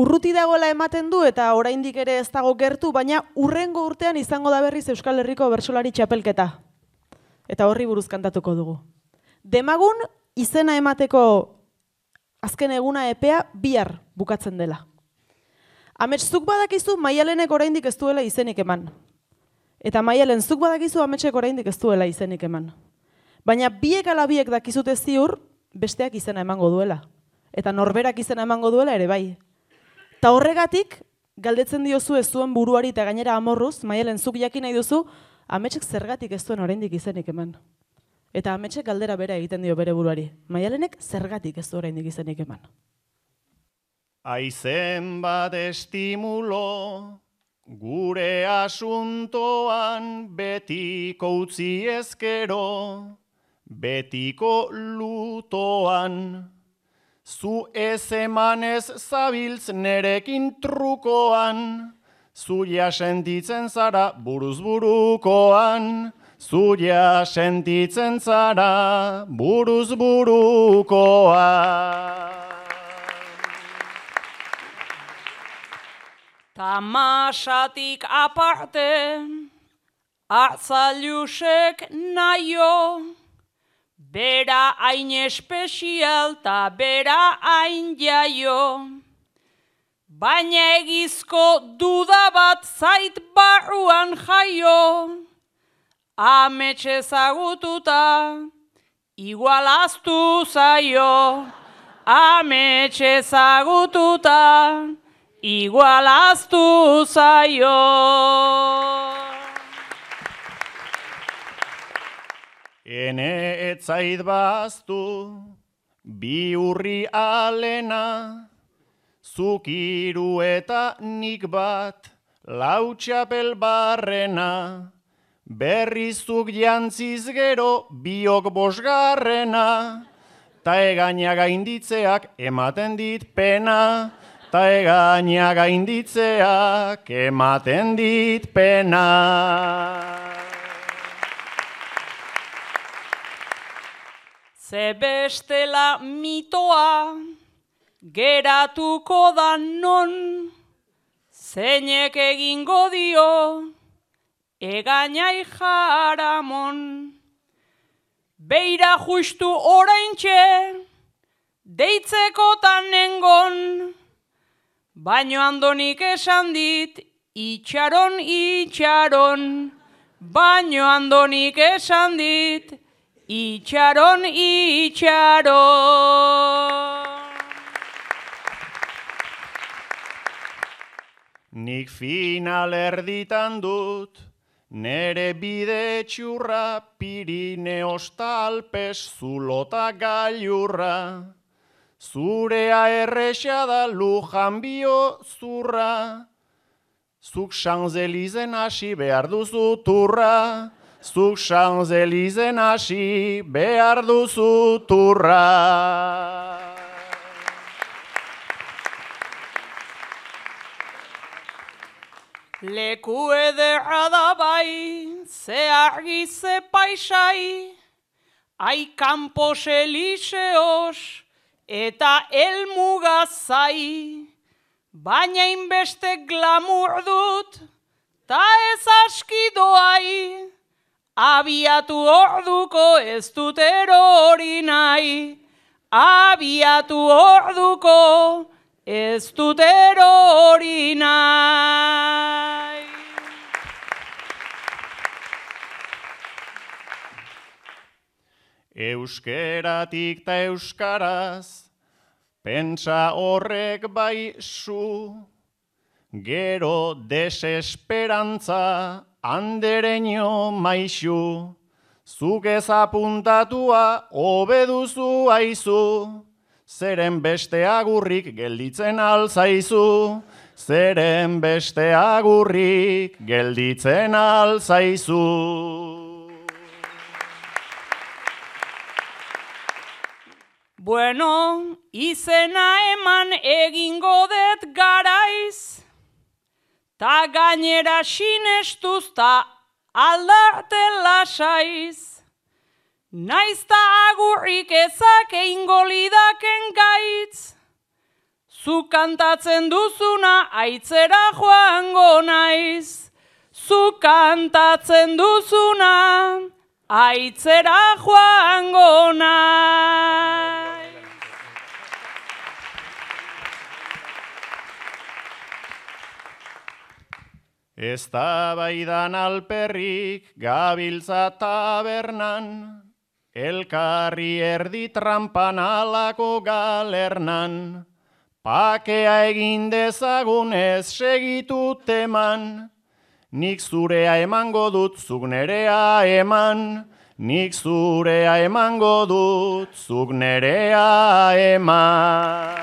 urruti dagoela ematen du eta oraindik ere ez dago gertu, baina hurrengo urtean izango da berriz Euskal Herriko bertsolari txapelketa. Eta horri buruz kantatuko dugu. Demagun izena emateko azken eguna epea bihar bukatzen dela. Amets, zuk badakizu Maialenek oraindik ez duela izenik eman. Eta Maialen, zuk badakizu Ametsek oraindik ez duela izenik eman. Baina biek ala biek dakizute ziur, besteak izena emango duela. Eta norberak izena emango duela ere bai. Eta horregatik, galdetzen diozu ez zuen buruari eta gainera amorruz, Maialen, zuk jakin nahi duzu, Ametsek zergatik ez duen oraindik izenik eman. Eta Ametsek galdera bera egiten dio bere buruari. Maialenek zergatik ez du oraindik izenik eman. Aizen bat estimulo, gure asuntoan betiko utzi ezkero, betiko lutoan. Zu ez emanez zabiltz nerekin trukoan, zuia sentitzen zara buruz burukoan, zuia sentitzen zara buruz burukoan. Tamasatik aparte, atzailusek naio, bera hain espezial ta bera hain jaio. Baina egizko duda bat zait barruan jaio, Amets ezagututa igualaztu zaio, Amets ezagututa igualaztu zaio. Ene etzait baztu, bi urri alena, zuk hiru eta nik bat, lau txapel barrena, berrizuk jantziz gero biok bosgarrena, ta egaina gainditzeak ematen dit pena, ta egaina gainditzeak ematen dit pena. Ze bestela mitoa geratuko da non, zeinek egingo dio egainai jaramon. Beira justu oraintxe deitzekotan nengon, baino andonik esan dit itxaron, itxaron, baino andonik esan dit itxaron, itxaron. Nik final erditan dut, nere bide txurra, Pirineos Alpes zulota gailurra. Zurea erresa da Lujan bio zurra, zuk Champs-Élysées hasi behar duzu turra, zuk Champs-Élysées hasi behar duzu turra. Leku ederra da bai, ze argi ze paisai, ai Campos Elíseos eta elmugazai, baina inbeste glamur dut, ta ez aski doai, abiatu orduko ez dut erori nahi, abiatu orduko ez dut erori nahi. Euskeratik ta euskaraz, pentsa horrek bai zu, gero desesperantza andereño maixu, zuk ez apuntatua hobeduzu aizu, zeren beste agurrik gelditzen alzaizu, zeren beste agurrik gelditzen alzaizu. Bueno, izena eman egingo dut garaiz, ta gainera sinestuz ta aldarte lasaiz. Naiz ta agurrik ezak eingo lidaken gaitz, Zu kantatzen duzuna aitzera joango naiz. Zu kantatzen duzuna aitzera joango naiz. Eztabaidan alperrik gabiltza tabernan, elkarri erdi trampan alako galernan, pakea egin dezagun ez segitu teman, nik zurea emango dut, zuk nerea eman, nik zurea emango dut, zuk nerea eman.